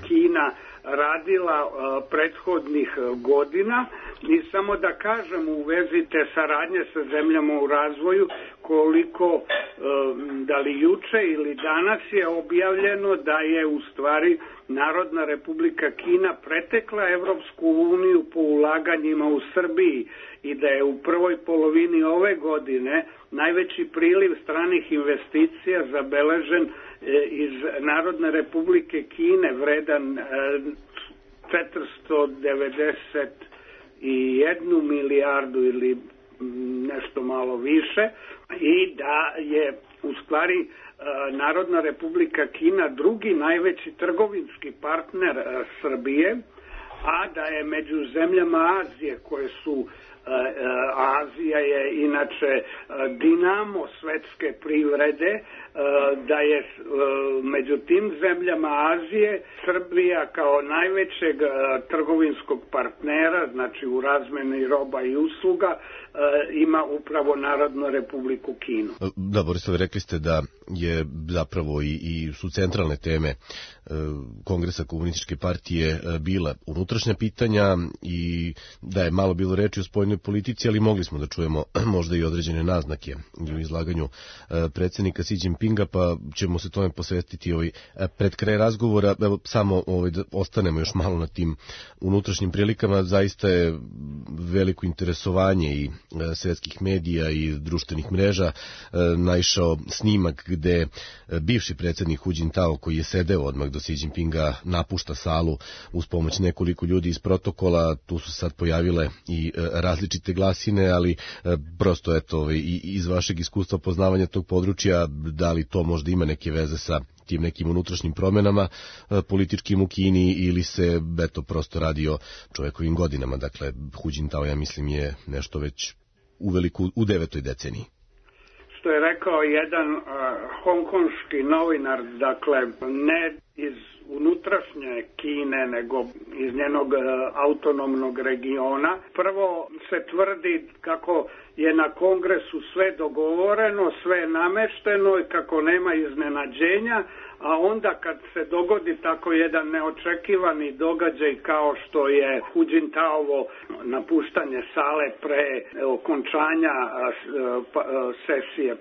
S15: Kina radila prethodnih godina. I samo da kažem u vezi te saradnje sa zemljama u razvoju, koliko da li juče ili danas je objavljeno da je u stvari Narodna Republika Kina pretekla Evropsku uniju po ulaganjima u Srbiji i da je u prvoj polovini ove godine najveći priliv stranih investicija zabeležen iz Narodne Republike Kine, vredan 491 milijardu ili nešto malo više, i da je u stvari Narodna Republika Kina drugi najveći trgovinski partner Srbije, a da je među zemljama Azije koje su Azija je inače dinamo svetske privrede, da je među tim zemljama Azije Srbija kao najvećeg trgovinskog partnera, znači u razmeni roba i usluga, ima upravo Narodnu Republiku Kinu.
S14: Da, Borisove, rekli ste da je zapravo i su centralne teme Kongresa Komunističke partije bila unutrašnja pitanja i da je malo bilo reči o spoljnoj politici, ali mogli smo da čujemo možda i određene naznake u izlaganju predsjednika Xi Jinpinga, pa ćemo se tome posvetiti pred kraj razgovora. Evo, samo da ostanemo još malo na tim unutrašnjim prilikama. Zaista je veliko interesovanje i svetskih medija i društvenih mreža naišao snimak gde bivši predsjednik Hu Jintao, koji je sedeo odmah do Xi Jinpinga, napušta salu uz pomoć nekoliko ljudi iz protokola. Tu su sad pojavile i različite glasine, ali prosto eto, iz vašeg iskustva poznavanja tog područja, da li to možda ima neke veze sa tim nekim unutrašnjim promenama političkim u Kini, ili se eto prosto radi o čovjekovim godinama? Dakle, Hu Jintao, ja mislim, je nešto već u 9. deceniji.
S15: Što je rekao jedan hongkonški novinar, dakle ne iz unutrašnje Kine, nego iz njenog autonomnog regiona. Prvo se tvrdi kako je na kongresu sve dogovoreno, sve je namešteno i kako nema iznenađenja, a onda kad se dogodi tako jedan neočekivani događaj kao što je Hu Jintaovo napuštanje sale pre okončanja sesije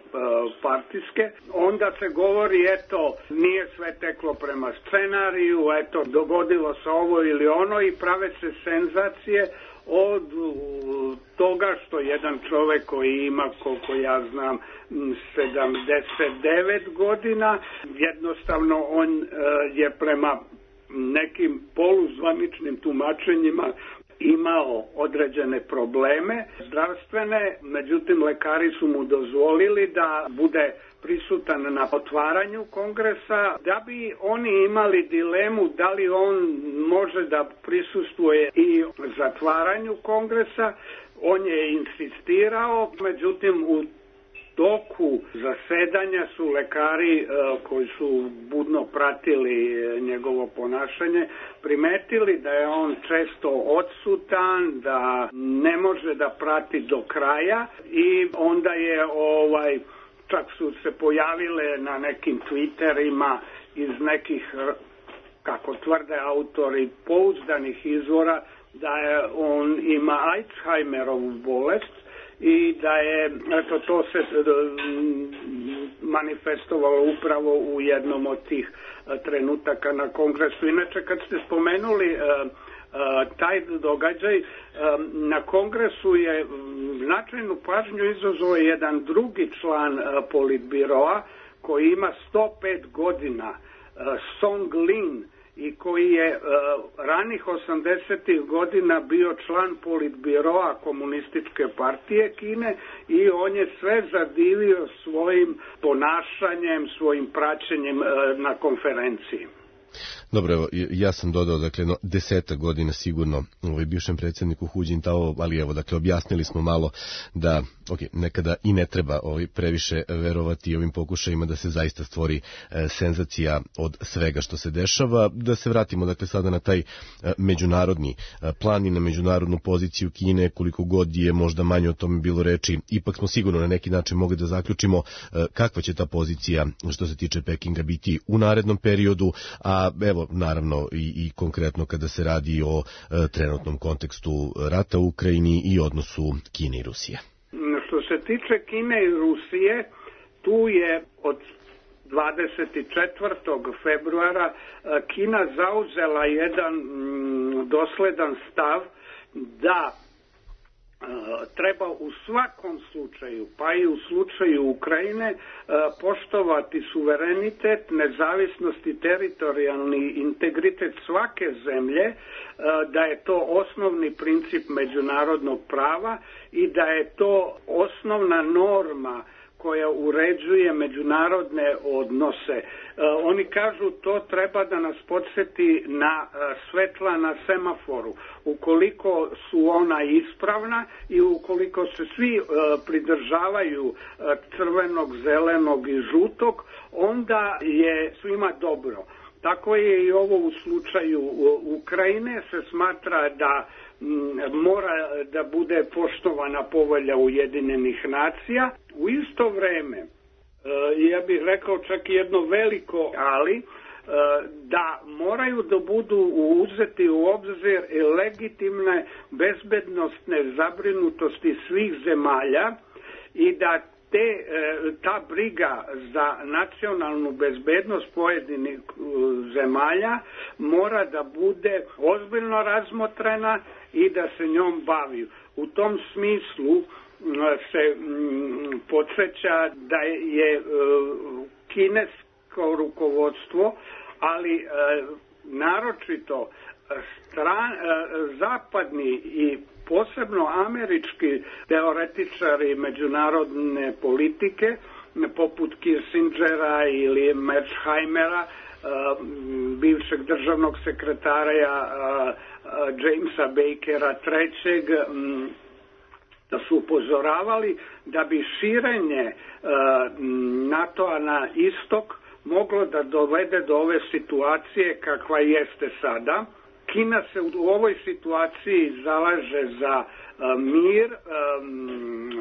S15: partijske, onda se govori eto nije sve teklo prema scenariju, eto dogodilo se ovo ili ono i prave se senzacije od toga što jedan čovjek koji ima, koliko ja znam, 79 godina, jednostavno on je prema nekim poluzvaničnim tumačenjima imao određene probleme zdravstvene, međutim lekari su mu dozvolili da bude prisutan na otvaranju kongresa, da bi oni imali dilemu da li on može da prisustvuje i zatvaranju kongresa. On je insistirao, međutim u toku zasedanja su lekari koji su budno pratili njegovo ponašanje primetili da je on često odsutan, da ne može da prati do kraja i onda je čak su se pojavile na nekim Twitterima iz nekih, kako tvrde autori, pouzdanih izvora da je on ima Alzheimerovu bolest i da je to se manifestovalo upravo u jednom od tih trenutaka na kongresu. Inače, kad ste spomenuli taj događaj, na kongresu je značajnu pažnju izazvao jedan drugi član politbiroa koji ima 105 godina, Song Lin, i koji je ranih 80. godina bio član politbiroa Komunističke partije Kine i on je sve zadivio svojim ponašanjem, svojim praćenjem na konferenciji.
S14: Dobro, evo, ja sam dodao, dakle, 10 godina sigurno bivšem predsjedniku Hu Jintao, ali evo, dakle, objasnili smo malo da, nekada i ne treba previše verovati ovim pokušajima da se zaista stvori senzacija od svega što se dešava. Da se vratimo, dakle, sada na taj međunarodni plan i na međunarodnu poziciju Kine, koliko god je možda manje o tome bilo reči, ipak smo sigurno na neki način mogli da zaključimo kakva će ta pozicija što se tiče Pekinga biti u narednom periodu, a evo, naravno i konkretno kada se radi o trenutnom kontekstu rata u Ukrajini i odnosu Kine i Rusije.
S15: Što se tiče Kine i Rusije, tu je od 24. februara Kina zauzela jedan dosledan stav da treba u svakom slučaju, pa i u slučaju Ukrajine, poštovati suverenitet, nezavisnost i teritorijalni integritet svake zemlje, da je to osnovni princip međunarodnog prava i da je to osnovna norma koja uređuje međunarodne odnose. Oni kažu to treba da nas podsjeti na svetla na semaforu. Ukoliko su ona ispravna i ukoliko se svi pridržavaju crvenog, zelenog i žutog, onda je svima dobro. Tako je i ovo u slučaju Ukrajine, se smatra da mora da bude poštovana povelja Ujedinjenih nacija. U isto vreme, ja bih rekao čak i jedno veliko ali, da moraju da budu uzeti u obzir legitimne bezbednostne zabrinutosti svih zemalja i da ta briga za nacionalnu bezbednost pojedinih zemalja mora da bude ozbiljno razmotrena i da se njom bavi. U tom smislu se podsjeća da je kinesko rukovodstvo, ali naročito zapadni i posebno američki teoretičari međunarodne politike, poput Kissingera ili Merzheimera, bivšeg državnog sekretara Jamesa Bakera III, da su upozoravali da bi širenje NATO-a na istok moglo da dovede do ove situacije kakva jeste sada. Kina se u ovoj situaciji zalaže za mir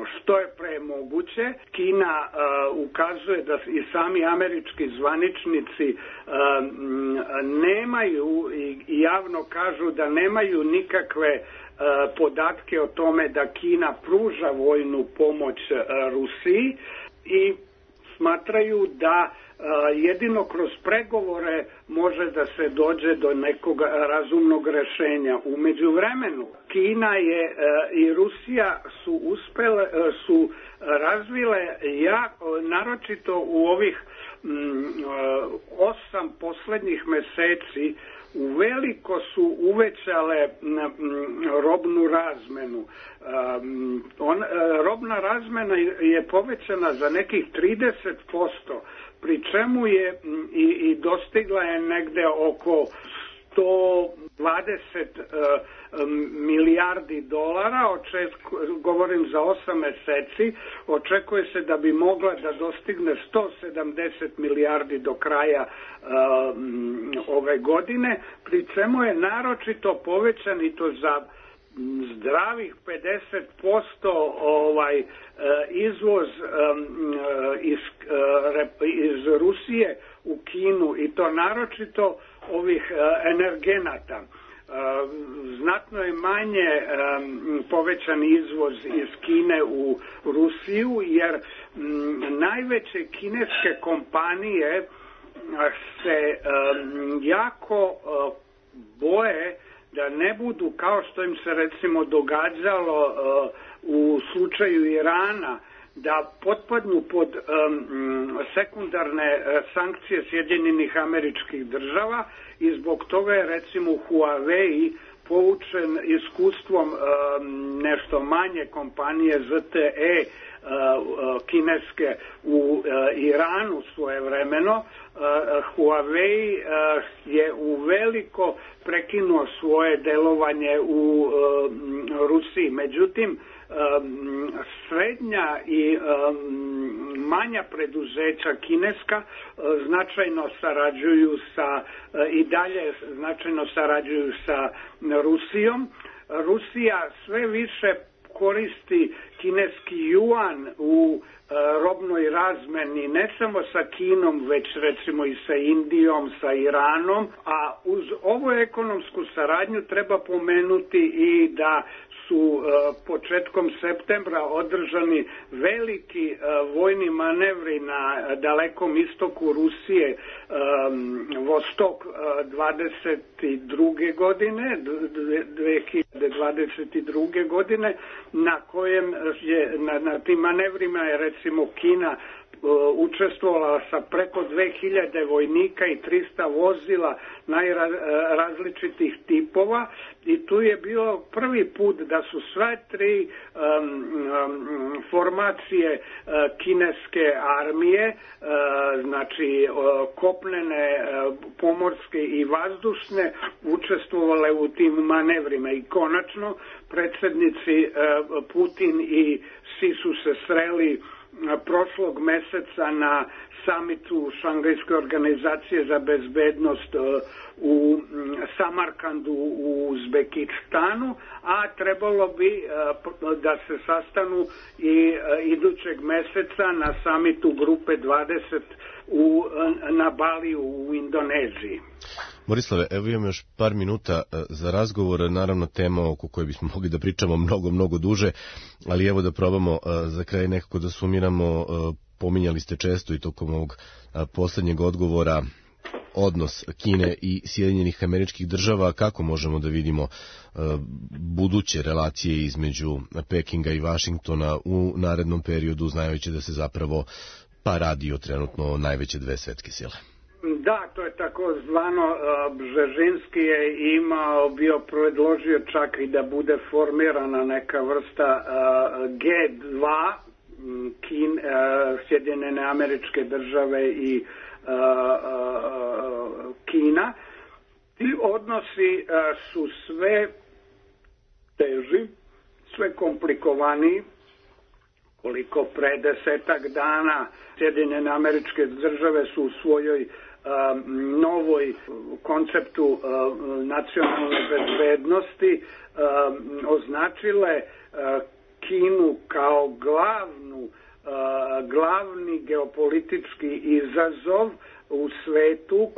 S15: što je pre moguće. Kina ukazuje da i sami američki zvaničnici nemaju i javno kažu da nemaju nikakve podatke o tome da Kina pruža vojnu pomoć Rusiji i smatraju da jedino kroz pregovore može da se dođe do nekog razumnog rešenja. U međuvremenu Kina je i Rusija su razvile naročito u ovih 8 poslednjih meseci uveliko su uvećale robnu razmenu. Robna razmena je povećana za nekih 30%, pri čemu je i dostigla je negde oko 120 milijardi dolara, govorim za 8 meseci, očekuje se da bi mogla da dostigne 170 milijardi do kraja ove godine, pri čemu je naročito povećan i to za zdravih 50% izvoz iz Rusije u Kinu i to naročito ovih energenata. Znatno je manje povećan izvoz iz Kine u Rusiju jer najveće kineske kompanije se jako boje da ne budu, kao što im se recimo događalo u slučaju Irana, da potpadnu pod sekundarne sankcije Sjedinjenih Američkih Država i zbog toga je recimo Huawei poučen iskustvom nešto manje kompanije ZTE kineske u Iranu svojevremeno. Huawei je uveliko prekinuo svoje delovanje u Rusiji. Međutim, srednja i manja preduzeća kineska značajno sarađuju i dalje značajno sarađuju sa Rusijom. Rusija sve više koristi kineski juan u robnoj razmeni ne samo sa Kinom, već recimo i sa Indijom, sa Iranom, a uz ovu ekonomsku saradnju treba pomenuti i da su početkom septembra održani veliki vojni manevri na dalekom istoku Rusije, Vostok 22. godine, 2022. godine, na kojem je, na tim manevrima je recimo Kina učestvovala sa preko 2000 vojnika i 300 vozila najrazličitih tipova i tu je bio prvi put da su sve tri formacije kineske armije, znači kopnene, pomorske i vazdušne, učestvovale u tim manevrima i konačno predsjednici Putin i Xi su se sreli prošlog meseca na samitu Šangajske organizacije za bezbednost u Samarkandu u Uzbekistanu, a trebalo bi da se sastanu i idućeg meseca na samitu Grupe 20 na Baliju u Indoneziji.
S14: Borislave, evo imam još par minuta za razgovor, naravno tema oko koje bismo mogli da pričamo mnogo duže, ali evo da probamo za kraj nekako da sumiramo. Pominjali ste često i tokom ovog poslednjeg odgovora odnos Kine i Sjedinjenih Američkih Država. Kako možemo da vidimo buduće relacije između Pekinga i Vašingtona u narednom periodu, znajući da se zapravo radi o trenutno najveće dve svetske sile?
S15: Da, to je tako zvano, Bžežinski je bio predložio čak i da bude formirana neka vrsta G2, Sjedinjene Američke Države i Kina. Ti odnosi su sve teži, sve komplikovaniji. Koliko pre 10 dana Sjedinjene Američke Države su u svojoj novoj konceptu nacionalne bezbednosti označile Kinu kao glavni geopolitički izazov u svetu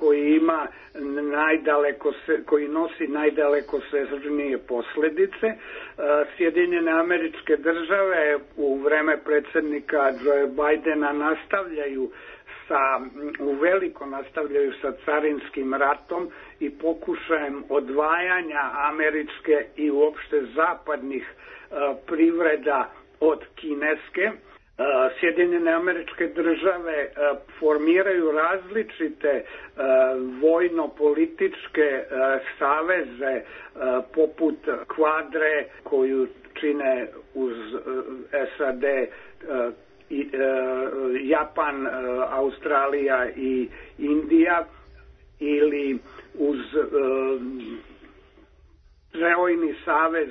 S15: koji nosi najdalekosežnije posljedice. Sjedinjene Američke Države u vreme predsjednika Joe Bidena nastavljaju sa carinskim ratom i pokušajem odvajanja američke i uopšte zapadnih privreda od kineske. Sjedinjene Američke Države formiraju različite vojno-političke saveze poput Kvadre koju čine uz SAD, Japan, Australija i Indija, ili uz Trojni savez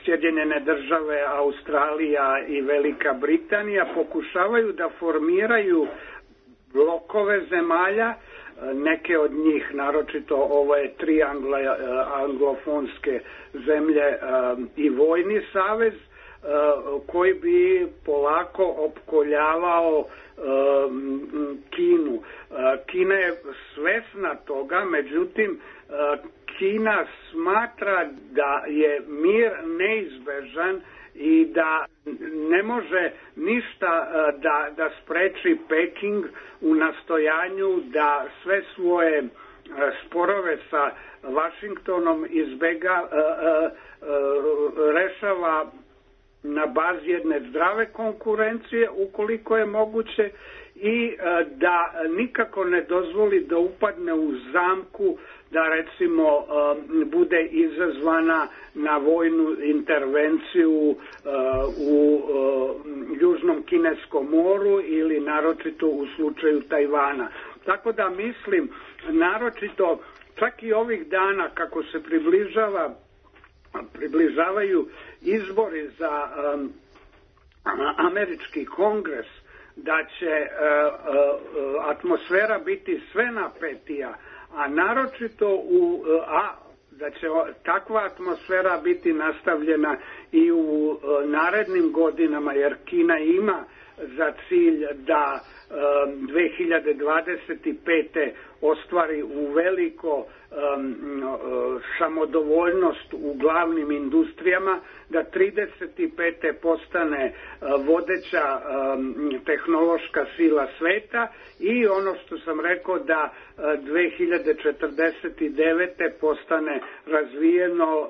S15: Sjedinjene Države, Australija i Velika Britanija, pokušavaju da formiraju blokove zemalja, neke od njih, naročito ove tri anglofonske zemlje i vojni savez, koji bi polako opkoljavao Kinu. Kina je svesna toga, međutim Kina smatra da je mir neizbežan i da ne može ništa da spreči Peking u nastojanju da sve svoje sporove sa Vašingtonom rešava na bazi jedne zdrave konkurencije ukoliko je moguće i da nikako ne dozvoli da upadne u zamku da recimo bude izazvana na vojnu intervenciju u Južnom Kineskom moru ili naročito u slučaju Tajvana. Tako da mislim, naročito čak i ovih dana kako se približavaju izbori za američki kongres, da će atmosfera biti sve napetija, a naročito da će takva atmosfera biti nastavljena i u narednim godinama, jer Kina ima za cilj da 2025. ostvari u veliko samodovoljnost u glavnim industrijama, da 35. postane vodeća tehnološka sila sveta i ono što sam rekao da 2049. postane razvijeno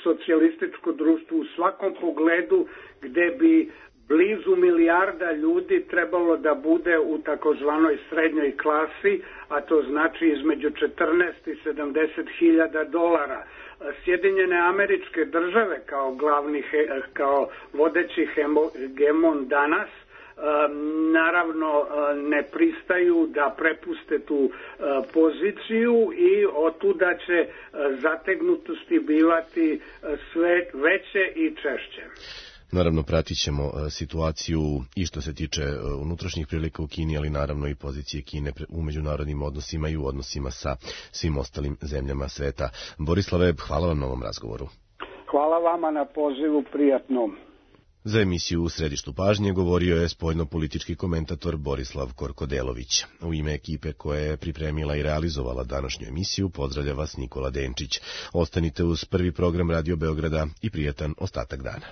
S15: socijalističko društvo u svakom pogledu, gde bi blizu milijarda ljudi trebalo da bude u takozvanoj srednjoj klasi, a to znači između 14 i 70 hiljada dolara. Sjedinjene Američke Države kao vodeći hegemon danas naravno ne pristaju da prepuste tu poziciju i otuda će zategnutosti bivati sve veće i češće.
S14: Naravno, pratit ćemo situaciju i što se tiče unutrašnjih prilika u Kini, ali naravno i pozicije Kine u međunarodnim odnosima i u odnosima sa svim ostalim zemljama sveta. Borislave, hvala vam na ovom razgovoru.
S15: Hvala vama na pozivu, prijatno.
S14: Za emisiju U središtu pažnje govorio je spoljno-politički komentator Borislav Korkodelović. U ime ekipe koja je pripremila i realizovala današnju emisiju pozdravlja vas Nikola Denčić. Ostanite uz prvi program Radio Beograda i prijatan ostatak dana.